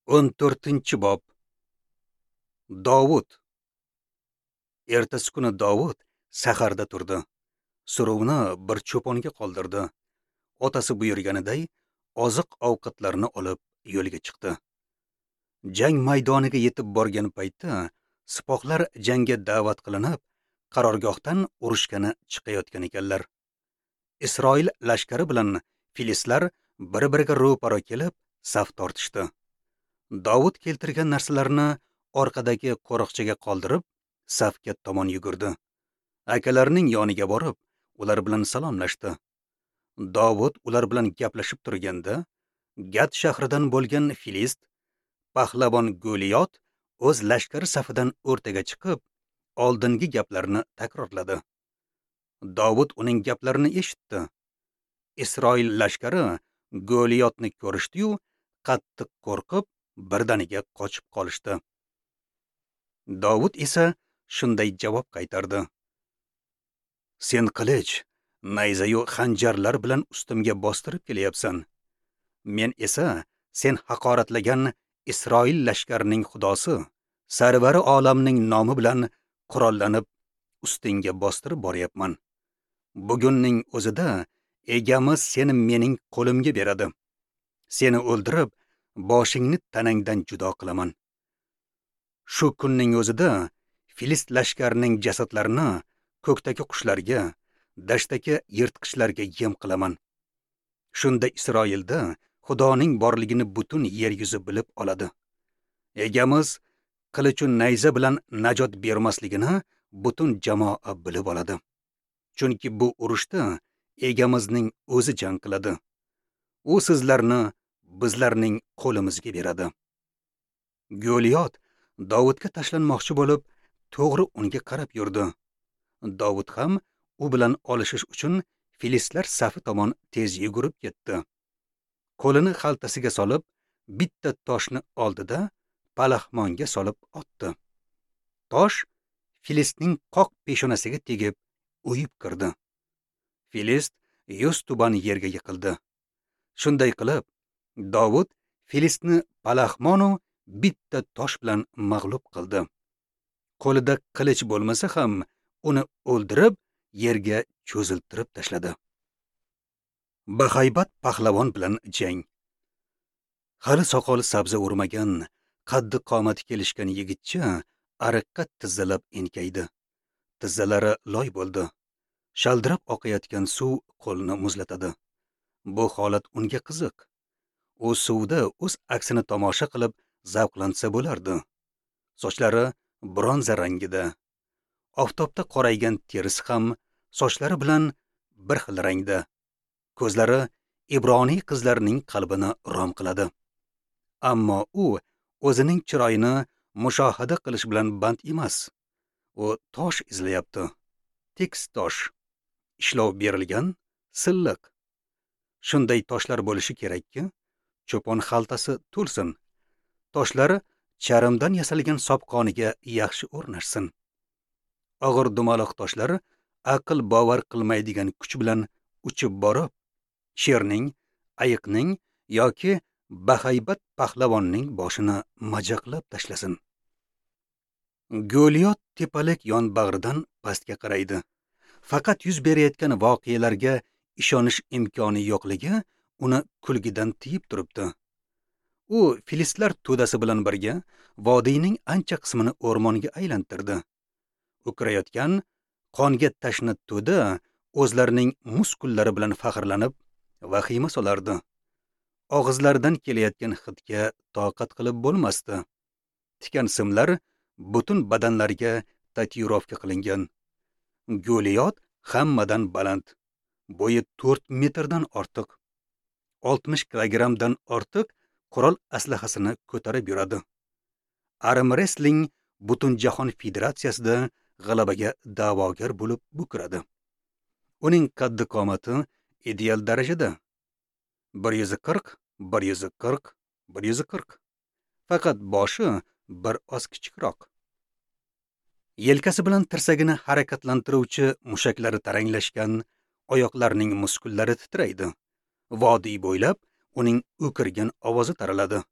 14-bob. Dovud. Ertasi kuni Dovud saharda turdi. Suruvni bir cho'ponga qoldirdi. Otasi buyurganiday oziq-ovqatlarni olib yo'lga chiqdi. Jang maydoniga yetib borgan paytda sipohlar jangga da'vat qilinib, qarorgohdan urushgani chiqayotgan ekanlar. Isroil lashkari bilan filistlar bir-biriga ro'para kelib, saf tortishdi. Dovud keltirgan narsalarni orqadagi qo'riqchiga qoldirib, safga tomon yugurdi. Akalarining yoniga borib, ular bilan salomlashdi. Dovud ular bilan gaplashib turganda, Gat shahridan bo'lgan filist pahlavon Goliyot o'z lashkari safidan o'rtaga chiqib, oldingi gaplarni takrorladi. Dovud uning gaplarini eshitdi. Isroil lashkari Goliyotni ko'rishdi-yu, qattiq qo'rqib, birdaniga qochib qolishdi. Dovud esa shunday javob qaytardi: Sen qilich, nayzayu xanjarlar bilan ustimga bostirib kelyapsan. Men esa sen haqoratlagan Isroil lashkarining xudosi, sarvari olamning nomi bilan qurollanib ustingga bostirib boryapman. Bugunning o'zida egamiz seni mening qo'limga beradi. Seni o'ldirib, boshingni tanangdan judo qilaman. Shu kunning o'zida filist lashkarining jasadlarini ko'kdagi qushlarga, dashtdagi yirtqichlarga yem qilaman. Shunda Isroilda Xudoning borligini butun yer yuzi bilib oladi. Egamiz qilichu nayza bilan najot bermasligini butun jamoa bilib oladi. Chunki bu urushda egamizning o'zi jang qiladi. U sizlarni bizlarning qo'limizga beradi. Goliyot Dovudga tashlanmoqchi bo'lib, to'g'ri unga qarab yurdi. Dovud ham u bilan olishish uchun filistlar safi tomon tez yugurib ketdi. Qo'lini xaltasiga solib, bitta toshni oldida palaxmonga solib otdi. Tosh filistning qoq peshonasiga tegib, o'yib kirdi. Filist yuz tuban yerga yiqildi. Shunday qilib, Dovud filistni palaxmonu bitta tosh bilan mag'lub qildi. Qo'lida qilich bo'lmasa ham uni o'ldirib, yerga cho'ziltirib tashladi. Bahaybat pahlavon bilan jang. Hali soqoli sabzi urmagan, qaddi qomati kelishgan yigitcha ariqqa tizzalab enkaydi. Tizzalari loy bo'ldi. Shaldirab oqayotgan suv qo'lini muzlatadi. Bu holat unga qiziq. U suvda o'z aksini tomosha qilib zavqlansa bo'lardi. Sochlari bronza rangida. Oftobda qoraygan terisi ham sochlari bilan bir xil rangda. Ko'zlari ibroniy qizlarning qalbini rom qiladi. Ammo u o'zining chiroyini mushohada qilish bilan band emas. U tosh izlayapti. Tekis tosh. Ishlov berilgan, silliq. Shunday toshlar bo'lishi kerakki, cho'pon xaltasi to'lsin. Toshlar charmdan yasalgan sopqoniga yaxshi o'rnashsin. Og'ir dumaloq toshlar aql bovar qilmaydigan kuch bilan uchib borib, sherning, ayiqning yoki bahaybat pahlavonning boshini majaqlab tashlasin. Goliyot tepalik yonbag'ridan pastga qaraydi. Faqat yuz berayotgan voqealarga ishonish imkoni yo'qligi uni kulgidan tiyib turibdi. U filistlar to'dasi bilan birga vodiyning ancha qismini o'rmonga aylantirdi. O'kirayotgan qonga tashna to'da o'zlarining muskullari bilan faxrlanib vahima solardi. Og'izlaridan kelayotgan hidga toqat qilib bo'lmasdi. Tikan simlar butun badanlariga tatuirovka qilingan. Goliyot hammadan baland. Bo'yi 4 metrdan ortiq. 60 kilogrammdan ortiq qurol aslahasini ko'tarib yuradi. Arm-wrestling Butunjahon federatsiyasida g'alabaga da'vogar bo'lib bukiradi. Uning qaddi qomati ideal darajada. 140, 140, 140. Faqat boshi bir oz kichikroq. Yelkasi bilan tirsagini harakatlantiruvchi mushaklari taranglashgan, oyoqlarining muskullari titraydi. Vodiy bo'ylab uning o'kirgan ovozi taraladi.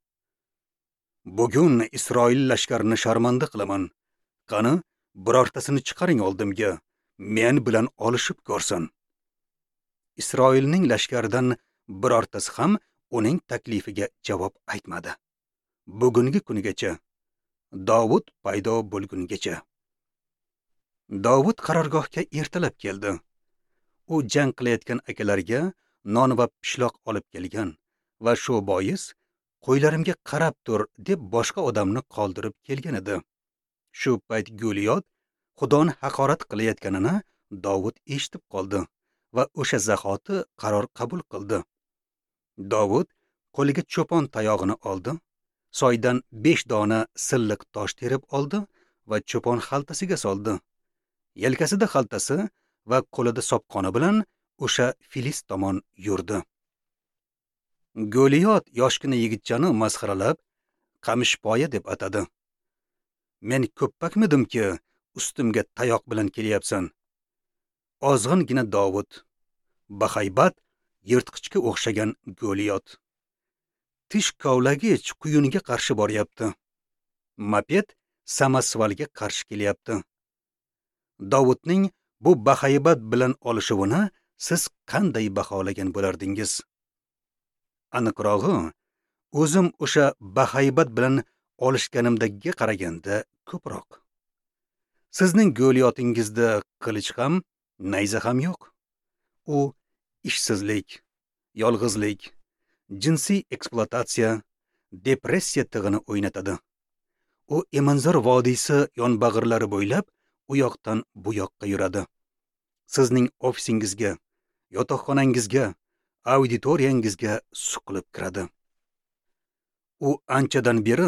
Bugun Isroil lashkarini sharmanda qilaman. Qani, birortasini chiqaring oldimga, men bilan olishib ko'rsin. Isroilning lashkaridan birortasi ham uning taklifiga javob aytmadi. Bugungi kunigacha, Dovud paydo bo'lgungacha. Dovud qarorgohga ertalab keldi. U jang qilayotgan akalariga non va pishloq olib kelgan va shu bois qo'ylarimga qarab tur deb boshqa odamni qoldirib kelgan edi. Shu payt Goliyot Xudoni haqorat qilayotganini Dovud eshitib qoldi va o'sha zahoti qaror qabul qildi. Dovud qo'liga cho'pon tayog'ini oldi, soydan 5 dona silliq tosh terib oldi va cho'pon xaltasiga soldi. Yelkasida xaltasi va qo'lida sopqoni bilan o'sha filist tomon yurdi. Goliyot yoshgina yigitchani masxaralab, qamishpoya deb atadi. Men ko'ppakmidimki, ustimga tayoq bilan kelyapsan? Ozg'ingina Dovud, bahaybat yirtqichga o'xshagan Goliyot. Tish kovlagich quyunga qarshi boryapti. Moped samosvalga qarshi kelyapti. Dovudning bu bahaybat bilan olishuvini siz qanday baholagan bo'lardingiz? Aniqrog'i, o'zim o'sha bahaybat bilan olishganimdagiga qaraganda ko'proq. Sizning Goliyotingizda qilich ham, nayza ham yo'q. U ishsizlik, yolg'izlik, jinsiy ekspluatatsiya, depressiya tig'ini o'ynatadi. U Emanzor vodiysi yonbag'irlari bo'ylab u yoqdan bu yoqqa yuradi. Sizning ofisingizga, yotoqxonangizga, auditoriyangizga suqilib kiradi. U anchadan beri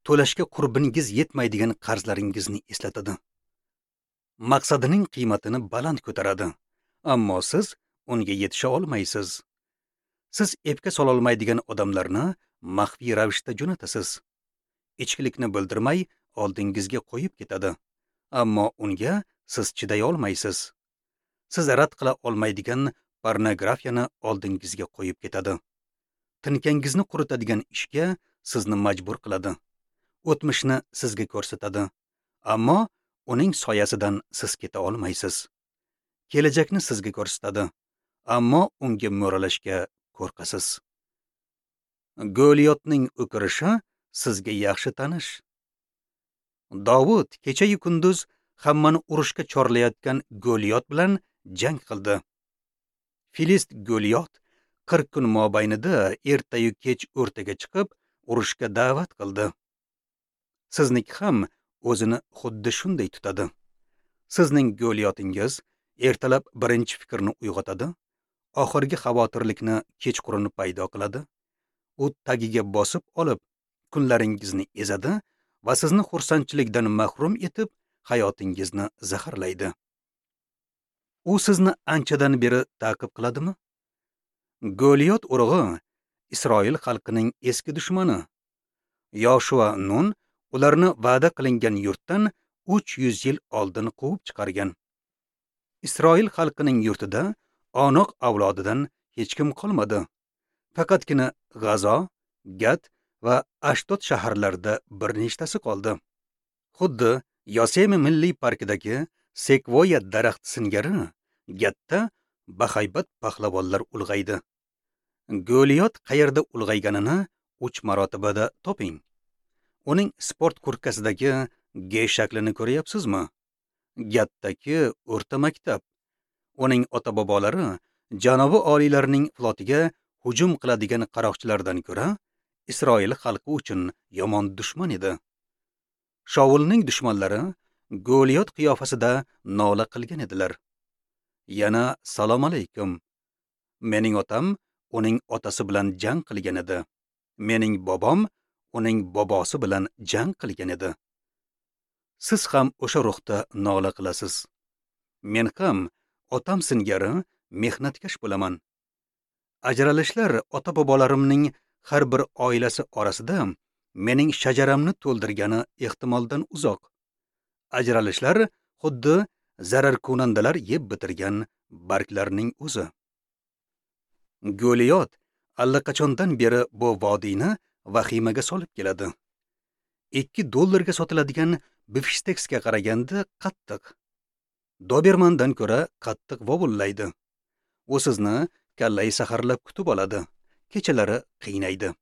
to'lashga qurbingiz yetmaydigan qarzlaringizni eslatadi. Maqsadining qiymatini baland ko'taradi, ammo siz unga yetisha olmaysiz. Siz epka sololmaydigan odamlarni maxfiy ravishda jo'natasiz. Ichkilikni bildirmay oldingizga qo'yib ketadi, ammo unga siz chiday olmaysiz. Siz rad qila olmaydigan pornografiyani oldingizga qo'yib ketadi. Tinkangizni quritadigan ishga sizni majbur qiladi. O'tmishni sizga ko'rsatadi, ammo uning soyasidan siz keta olmaysiz. Kelajakni sizga ko'rsatadi, ammo unga mo'ralashga qo'rqasiz. Goliyotning o'kirishi sizga yaxshi tanish. Dovud kecha-yu kunduz hammani urushga chorlayotgan Goliyot bilan jang qildi. Filist Goliyot 40 kun mobaynida ertayu kech o'rtaga chiqib urushga da'vat qildi. Sizniki ham o'zini xuddi shunday tutadi. Sizning Goliyotingiz ertalab birinchi fikrni uyg'otadi, oxirgi xavotirlikni kechqurun paydo qiladi. U tagiga bosib olib, kunlaringizni ezadi va sizni xursandchilikdan mahrum etib, hayotingizni zaharlaydi. U sizni anchadan beri ta'qib qiladimi? Goliyot urug'i Isroil xalqining eski dushmani. Yoshua Nun ularni va'da qilingan yurtdan 300 yil oldin quvib chiqargan. Isroil xalqining yurtida Onoq avlodidan hech kim qolmadi. Faqatgina G'azo, Gat va Ashdod shaharlarida bir nechtasi qoldi. Xuddi Yosemi milliy parkidagi sekvoya daraxti singari Gatda bahaybat pahlavonlar ulg'aydi. Goliyot qayerda ulg'ayganini 3 marotibada toping. Uning sport kurtkasidagi G shaklini ko'ryapsizmi? Gatdagi o'rta maktab. Uning ota-bobolari janobi oliylarning flotiga hujum qiladigan qaroqchilardan ko'ra Isroil xalqi uchun yomon dushman edi. Shaulning dushmanlari Goliyot qiyofasida nola qilgan edilar. Yana salom alaykum. Mening otam uning otasi bilan jang qilgan edi. Mening bobom uning bobosi bilan jang qilgan edi. Siz ham o'sha ruhda nola qilasiz. Men ham otam singari mehnatkash bo'laman. Ajralishlar ota-bobolarimning har bir oilasi orasida mening shajaramni to'ldirgani ehtimoldan uzoq. Ajralishlar xuddi zararkunandalar yeb bitirgan barglarning o'zi. Goliyot allaqachondan beri bu vodiyni vahimaga solib keladi. $2 sotiladigan bifshteksga qaraganda qattiq. Dobermandan ko'ra qattiq vovullaydi. U sizni kallai saharlab kutib oladi, kechalari qiynaydi.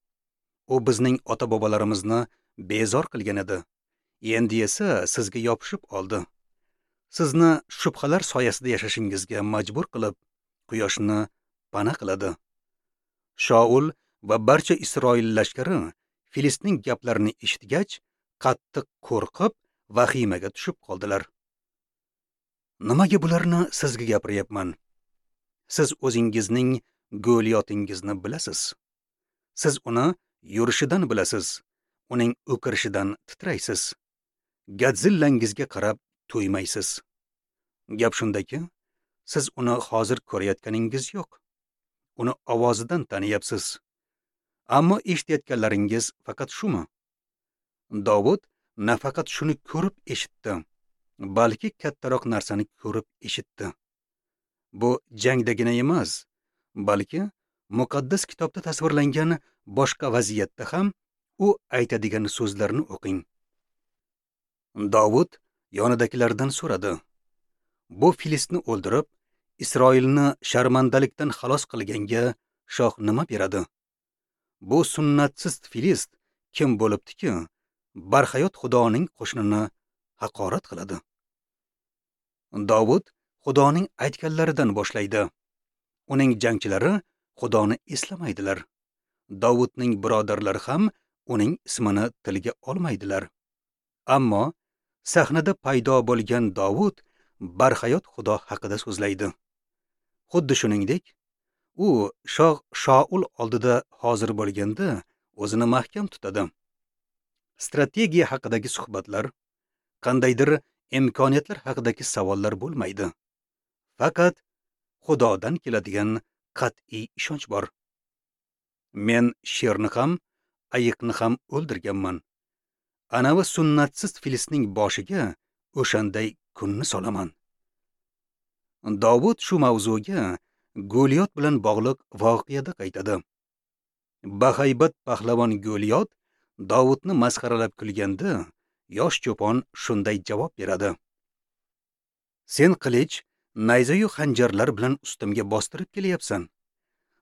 U bizning ota-bobolarimizni bezor qilgan edi. Endi esa sizga yopishib oldi. Sizni shubhalar soyasida yashashingizga majbur qilib, quyoshni pana qiladi. Shaul va barcha Isroil lashkari Filistning gaplarini eshitgach, qattiq qo'rqib, vahimaga tushib qoldilar. Nimaga bularni sizga gapiryapman? Siz o'zingizning Goliyotingizni bilasiz. Siz uni yurishidan bilasiz, uning o'kirishidan titraysiz. Godzillangizga qarab to'ymaysiz. Gap shundaki, siz uni hozir ko'rayotganingiz yo'q. Uni ovozidan taniyapsiz. Ammo eshitayotganlaringiz faqat shumi? Dovud nafaqat shuni ko'rib eshitdi, balki kattaroq narsani ko'rib eshitdi. Bu jangdagina emas, balki muqaddas kitobda tasvirlangan boshqa vaziyatda ham u aytadigan so'zlarni o'qing. Dovud yonidagilardan so'radi: Bu Filistni o'ldirib, Isroilni sharmandalikdan xalos qilganga shoh nima beradi? Bu sunnatsiz Filist kim bo'libdiki, barhayot Xudoning qo'shinini haqorat qiladi? Dovud Xudoning aytganlaridan boshlaydi. Uning jangchilari Xudoni eslamaydilar. Dovudning birodarlari ham uning ismini tilga olmaydilar. Ammo sahnada paydo bo'lgan Dovud barhayot Xudo haqida so'zlaydi. Xuddi shuningdek, u shoh Shaul oldida hozir bo'lganda o'zini mahkam tutadi. Strategiya haqidagi suhbatlar, qandaydir imkoniyatlar haqidagi savollar bo'lmaydi. Faqat Xudodan keladigan qat'iy ishonch bor. Men sherni ham, ayiqni ham o'ldirganman. Anavi sunnatsiz Filistning boshiga o'shanday kunni solaman. Dovud shu mavzuga Goliyot bilan bog'liq voqeada qaytadi. Bahaybat pahlavon Goliyot Dovudni masxaralab kulganda, yosh cho'pon shunday javob beradi: Sen qilich, nayzayu xanjarlar bilan ustimga bostirib kelyapsan.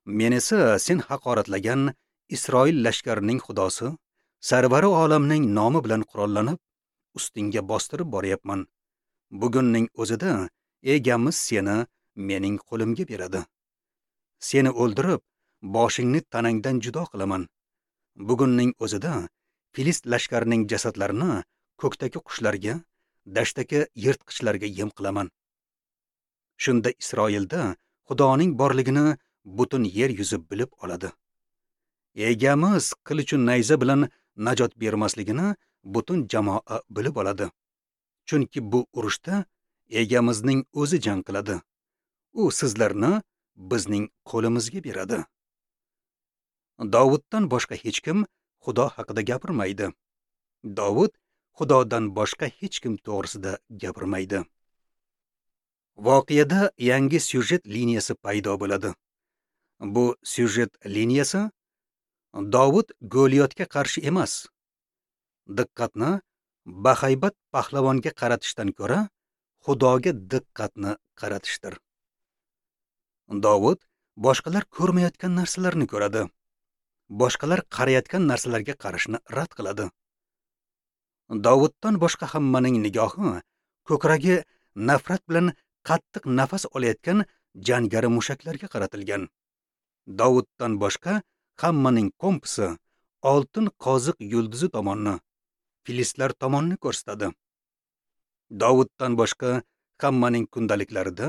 Men esa sen haqoratlagan Isroil lashkarining xudosi, sarvari olamning nomi bilan qurollanib, ustingga bostirib boryapman. Bugunning o'zida egamiz seni mening qo'limga beradi. Seni o'ldirib, boshingni tanangdan judo qilaman. Bugunning o'zida Filist lashkarining jasadlarini ko'kdagi qushlarga, dashtdagi yirtqichlarga yem qilaman. Shunda Isroilda Xudoning borligini butun yer yuzi bilib oladi. Egamiz qilichu nayza bilan najot bermasligini butun jamoa bilib oladi. Chunki bu urushda egamizning o'zi jang qiladi. U sizlarni bizning qo'limizga beradi. Dovuddan boshqa hech kim Xudo haqida gapirmaydi. Dovud Xudodan boshqa hech kim to'g'risida gapirmaydi. Voqeada yangi syujet liniyasi paydo bo'ladi. Bu syujet liniyasi Dovud Goliyotga qarshi emas. Diqqatni bahaybat pahlavonga qaratishdan ko'ra Xudoga diqqatni qaratishdir. Dovud boshqalar ko'rmayotgan narsalarni ko'radi. Boshqalar qarayotgan narsalarga qarashni rad qiladi. Dovuddan boshqa hammaning nigohi ko'kragi nafrat bilan qattiq nafas olayotgan jangari mushaklarga qaratilgan. Dovuddan boshqa hammaning kompasi oltin qoziq yulduzi tomonni, filistlar tomonni ko'rsatadi. Dovuddan boshqa hammaning kundaliklarida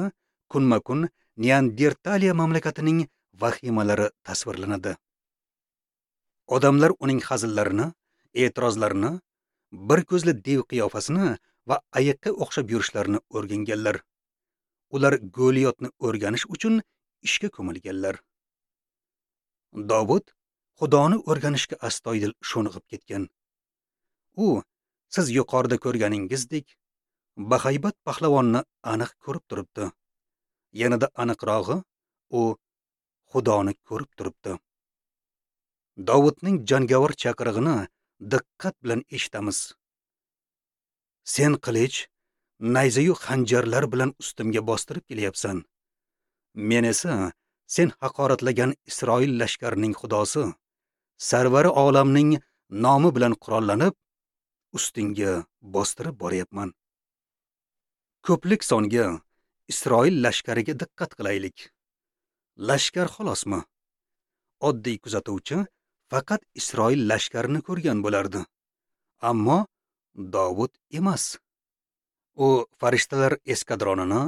kunma-kun Neandertaliya mamlakatining vahimalari tasvirlanadi. Odamlar uning hazillarini, e'tirozlarini, bir ko'zli dev qiyofasini va ayiqqa o'xshab yurishlarini o'rganganlar. Ular Goliyotni o'rganish uchun ishga ko'milganlar. Dovud Xudoni o'rganishga astoydil sho'ng'ib ketgan. U siz yuqorida ko'rganingizdek bahaybat pahlavonni aniq ko'rib turibdi. Yanada aniqrog'i, u Xudoni ko'rib turibdi. Dovudning jangovar chaqirig'ini diqqat bilan eshitamiz. Sen qilich, nayzayu xanjarlar bilan ustimga bostirib kelyapsan. Men esa sen haqoratlagan Isroil lashkarining xudosi, sarvari olamning nomi bilan qurollanib, ustingga bostirib boryapman. Ko'plik songa Isroil lashkariga diqqat qilaylik. Lashkar xolosmi? Oddiy kuzatuvchi faqat Isroil lashkarini ko'rgan bo'lardi. Ammo Dovud emas. U farishtalar eskadronini,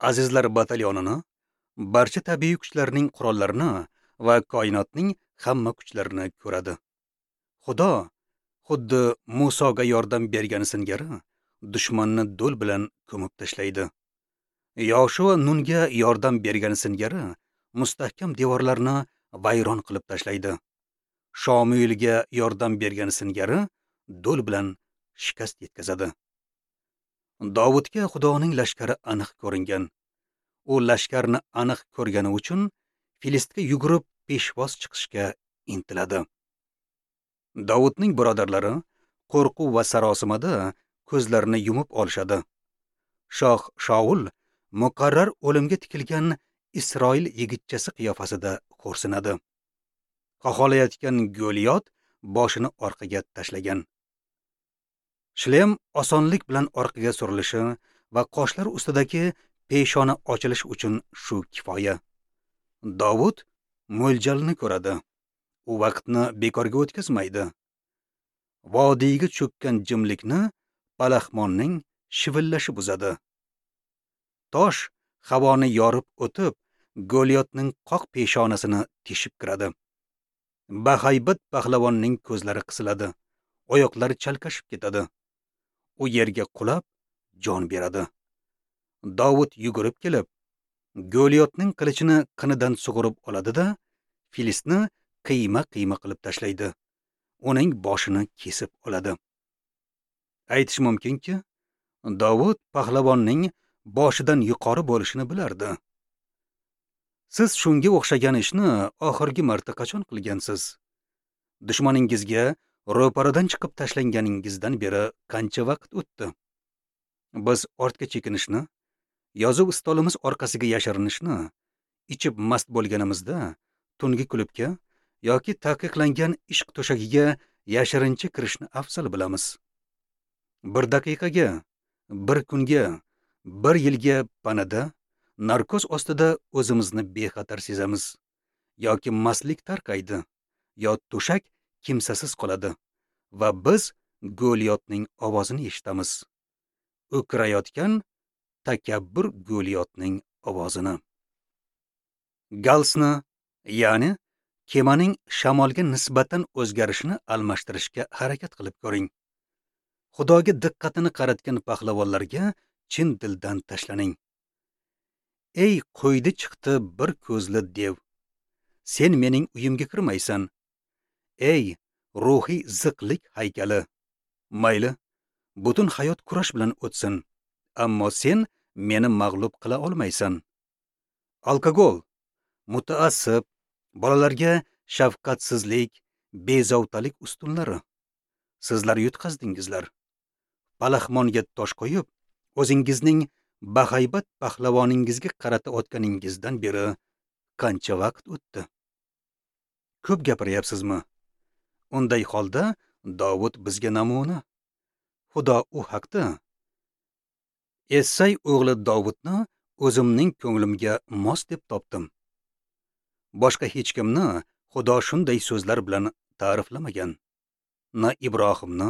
azizlar batalyonini, barcha tabiiy kuchlarning qurollarini va koinotning hamma kuchlarini ko'radi. Xudo xuddi Musoga yordam bergani singari dushmanni do'l bilan ko'mib tashlaydi. Yoshua Nunga yordam bergani singari mustahkam devorlarni vayron qilib tashlaydi. Shomuilga yordam bergani singari do'l bilan shikast yetkazadi. Dovudga Xudoning lashkari aniq ko'ringan. U lashkarni aniq ko'rgani uchun Filistga yugurib peshvoz chiqishga intiladi. Dovudning birodarlari qo'rquv va sarosimada ko'zlarini yumib olishadi. Shoh Shaul muqarrar o'limga tikilgan Isroil yigitchasi qiyofasida xo'rsinadi. Qaholayotgan Goliyot boshini orqaga tashlagan. Shlem osonlik bilan orqaga surilishi va qoshlar ustidagi peshona ochilishi uchun shu kifoya. Dovud mo'ljalni ko'radi. U vaqtni bekorga o'tkazmaydi. Vodiyga cho'kkan jimlikni palaxmonning shivillashi buzadi. Tosh havoni yorib o'tib, Goliyotning qoq peshonasini teshib kiradi. Bahaybat pahlavonning ko'zlari qisiladi, oyoqlari chalkashib ketadi. U yerga qulab jon beradi. Dovud yugurib kelib, Goliyotning qilichini qinidan sug'urib oladi-da, Filistni qiyma-qiyma qilib tashlaydi. Uning boshini kesib oladi. Aytish mumkinki, Dovud pahlavonning boshidan yuqori bo'lishini bilardi. Siz shunga o'xshagan ishni oxirgi marta qachon qilgansiz? Dushmaningizga ro'paradan chiqib tashlanganingizdan beri qancha vaqt o'tdi? Biz ortga chekinishni, yozuv stolimiz orqasiga yashirinishni, ichib mast bo'lganimizda tungi klubga yoki taqiqlangan ishq to'shagiga yashirincha kirishni afzal bilamiz. Bir daqiqaga, bir kunga, bir yilga panada, narkoz ostida o'zimizni bexatar sezamiz. Yoki mastlik tarqaydi, yo to'shak kimsasiz qoladi va biz Goliyotning ovozini eshitamiz. O'kirayotgan takabbur Goliyotning ovozini. Galsni, ya'ni kemaning shamolga nisbatan o'zgarishini almashtirishga harakat qilib ko'ring. Xudoga diqqatini qaratgan pahlavonlarga chin dildan tashlaning. Ey qo'ydi chiqdi bir ko'zli dev, sen mening uyimga kirmaysan. Ey ruhiy ziqlik haykali, mayli, butun hayot kurash bilan o'tsin, ammo sen meni mag'lub qila olmaysan. Alkogol, mutaassib, bolalarga shafqatsizlik, bezovtalik ustunlari. Sizlar yutqazdingizlar. Palaxmonga tosh qo'yib, o'zingizning bahaybat pahlavoningizga qarata otganingizdan beri qancha vaqt o'tdi? Ko'p gapiryapsizmi? Unday holda Dovud bizga namuna. Xudo u haqda: Essay o'g'li Dovudni o'zimning ko'nglimga mos deb topdim. Boshqa hech kimni Xudo shunday so'zlar bilan ta'riflamagan. Na Ibrohimni,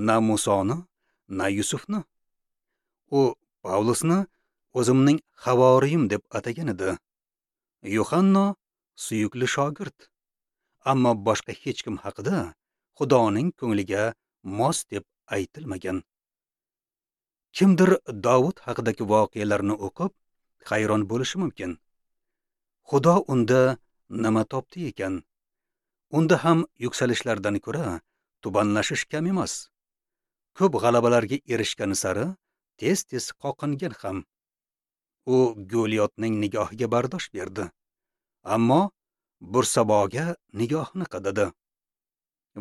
na Musoni, na Yusufni. U Pavlusni o'zimning havoriyim deb atagan edi. Yuhanno suyukli shogird. Ammo boshqa hech kim haqida Xudoning ko'ngliga mos deb aytilmagan. Kimdir Dovud haqidagi voqealarni o'qib hayron bo'lishi mumkin. Xudo unda nima topdi ekan? Unda ham yuksalishlardan ko'ra tubanlashish kam emas. Ko'p g'alabalarga erishgani sari tez-tez qoqingan ham. U Goliyotning nigohiga bardosh berdi. Ammo Bursaboga nigohini qadadi.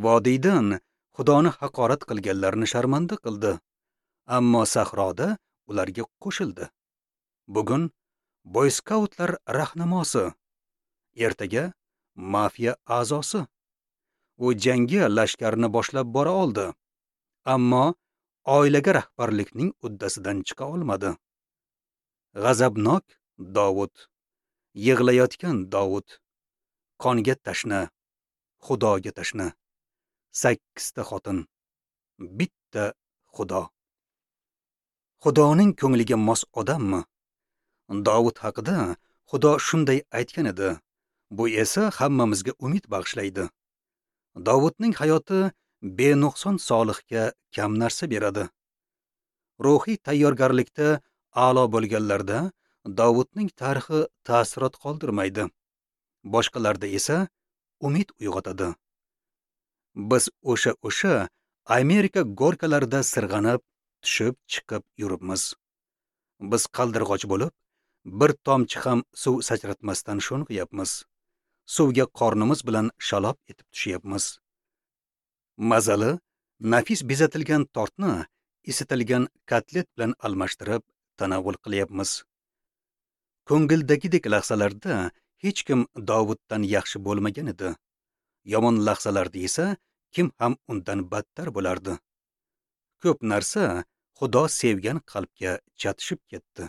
Vodiydan Xudoni haqorat qilganlarni sharmanda qildi, ammo sahroda ularga qo'shildi. Bugun boy skautlar rahnamosi, ertaga mafiya a'zosi. U jangga lashkarni boshlab bora oldi, ammo oilaga rahbarlikning uddasidan chiqa olmadi. G'azabnok Dovud, yig'layotgan Dovud, qonga tashna, Xudoga tashna. 8 ta xotin, bitta Xudo. Xudoning ko'ngliga mos odammi? Dovud haqida Xudo shunday aytgan edi. Bu esa hammamizga umid bag'ishlaydi. Dovudning hayoti benuqson solihga kam narsa beradi. Ruhiy tayyorgarlikda a'lo bo'lganlarda Dovudning tarixi ta'sirot qoldirmaydi. Boshqalarda esa umid uyg'otadi. Biz o'sha Amerika gorkalarida sirg'anib, tushib chiqib yuribmiz. Biz qaldirg'och bo'lib, bir tomchi ham suv sachratmasdan sho'ng'iyapmiz. Suvga qornimiz bilan shalob etib tushyapmiz. Mazali, nafis bezatilgan tortni isitilgan kotlet bilan almashtirib tanovul qilyapmiz. Ko'ngildagidek lahzalarda hech kim Dovuddan yaxshi bo'lmagan edi. Yomon lahzalarda esa kim ham undan battar bo'lardi. Ko'p narsa Xudo sevgan qalbga chatishib ketdi.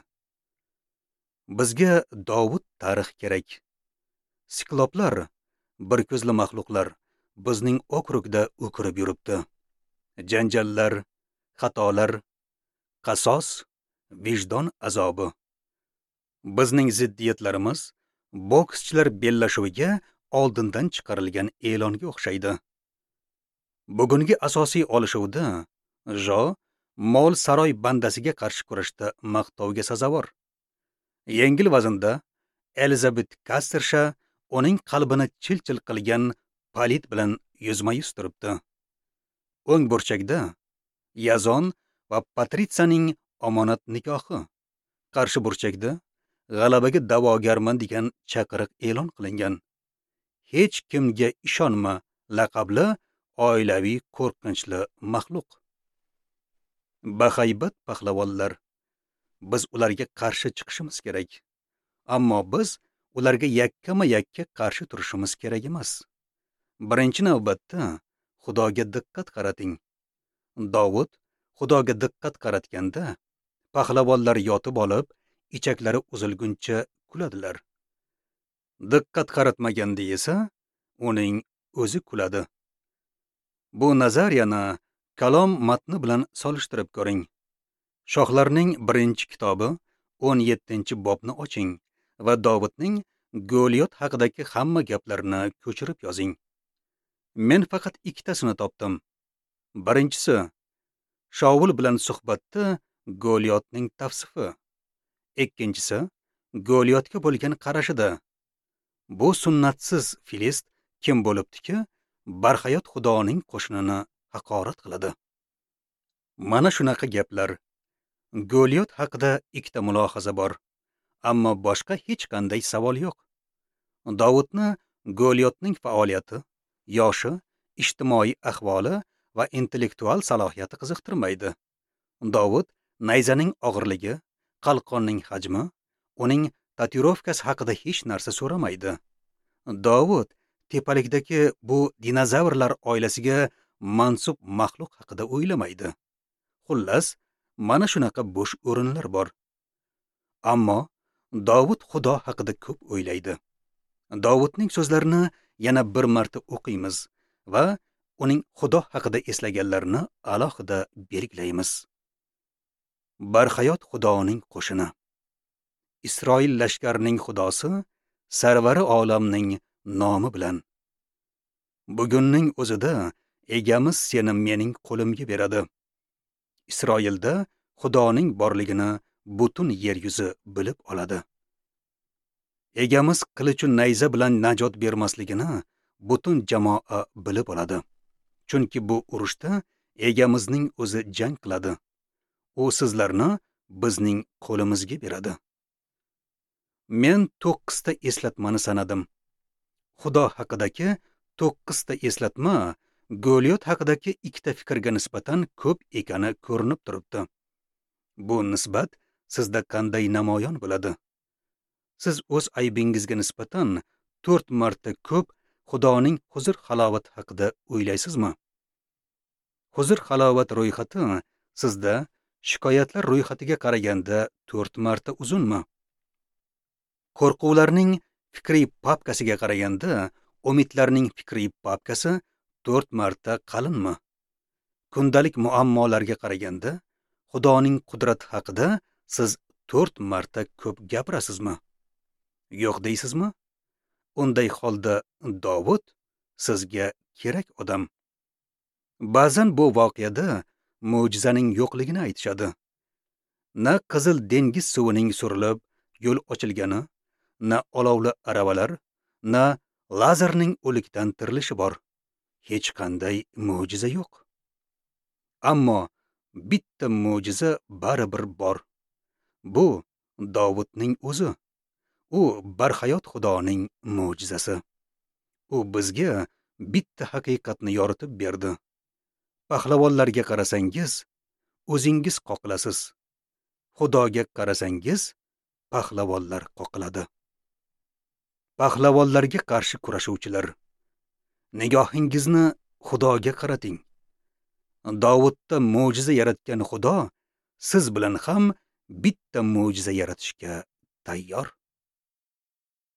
Bizga Dovud tarix kerak. Sikloplar, bir ko'zli maxluqlar bizning okrugda o'kirib yuribdi. Janjallar, xatolar, qasos, vijdon azobi. Bizning ziddiyatlarimiz bokschilar bellashuviga oldindan chiqarilgan e'longa o'xshaydi. Bugungi asosiy olishuvda Jo mol saroy bandasiga qarshi kurashda maqtovga sazovor. Yengil vaznda Elizabet Kastersha uning qalbini chil-chil qilgan palit bilan yuzma-yuz turibdi. O'ng burchakda Yazon va Patritsiyaning omonat nikohi. Qarshi burchakda g'alabaga da'vogarman degan chaqiriq e'lon qilingan. Hech kimga ishonma laqabli oilaviy qo'rqinchli maxluq. Bahaybat pahlavonlar. Biz ularga qarshi chiqishimiz kerak. Ammo biz ularga yakkama-yakka qarshi turishimiz kerak emas. Birinchi navbatda Xudoga diqqat qarating. Dovud Xudoga diqqat qaratganda pahlavonlar yotib olib, ichaklari uzilguncha kuladilar. Diqqat qaratmaganda esa uning o'zi kuladi. Bu nazariyani Kalom matni bilan solishtirib ko'ring. Shohlarning 1-kitobi 17-bobni oching va Dovudning Goliyot haqidagi hamma gaplarni ko'chirib yozing. Men faqat ikkitasini topdim. Birinchisi, Shaul bilan suhbatda Goliyotning tavsifi. Ikkinchisi, Goliyotga bo'lgan qarashida. Bu sunnatsiz filist kim bo'libdiki, barhayot Xudoning qo'shinini haqorat qiladi. Mana shunaqa gaplar. Goliyot haqida ikkita mulohaza bor, ammo boshqa hech qanday savol yo'q. Dovudni Goliyotning faoliyati, yoshi, ijtimoiy ahvoli va intellektual salohiyati qiziqtirmaydi. Dovud nayzaning og'irligi, qalqonning hajmi, uning tatuirovkasi haqida hech narsa so'ramaydi. Dovud tepalikdagi bu dinozavrlar oilasiga mansub maxluq haqida o'ylamaydi. Xullas, mana shunaqa bo'sh o'rinlar bor. Ammo Dovud Xudo haqida ko'p o'ylaydi. Dovudning so'zlarini yana bir marta o'qiymiz va uning Xudo haqida eslaganlarini alohida belgilaymiz. Barhayot Xudoning qo'shini. Isroil lashkarining Xudosi, sarvari olamning nomi bilan. Bugunning o'zida egamiz seni mening qo'limga beradi. Isroilda Xudoning borligini butun yer yuzi bilib oladi. Egamiz qilichu nayza bilan najot bermasligini butun jamoa bilib oladi. Chunki bu urushda egamizning o'zi jang qiladi. U sizlarni bizning qo'limizga beradi. Men 9 ta eslatmani sanadim. Xudo haqidagi 9 ta eslatma Goliyot haqidagi ikkita fikrga nisbatan ko'p ekani ko'rinib turibdi. Bu nisbat sizda qanday namoyon bo'ladi? Siz o'z aybingizga nisbatan 4 marta ko'p Xudoning huzur halovati haqida o'ylaysizmi? Huzur halovat ro'yxati sizda shikoyatlar ro'yxatiga qaraganda 4 marta uzunmi? Qo'rquvlarning fikriy papkasiga qaraganda umidlarning fikriy papkasi 4 marta qalinmi? Kundalik muammolarga qaraganda Xudoning qudrati haqida siz 4 marta ko'p gapirasizmi? Yo'q deysizmi? Unday holda Dovud sizga kerak odam. Ba'zan bu voqeada mo'jizaning yo'qligini aytishadi. Na Qizil dengiz suvining surilib yo'l ochilgani, na olovli aravalar, na Lazarning o'likdan tirilishi bor. Hech qanday mo'jiza yo'q. Ammo bitta mo'jiza baribir bor. Bu Dovudning o'zi. U barhayot Xudoning mo'jizasi. U bizga bitta haqiqatni yoritib berdi. Pahlavonlarga qarasangiz, o'zingiz qoqilasiz. Xudoga qarasangiz, pahlavonlar qoqiladi. Pahlavonlarga qarshi kurashuvchilar, nigohingizni Xudoga qarating. Dovudda mo'jiza yaratgan Xudo siz bilan ham bitta mo'jiza yaratishga tayyor.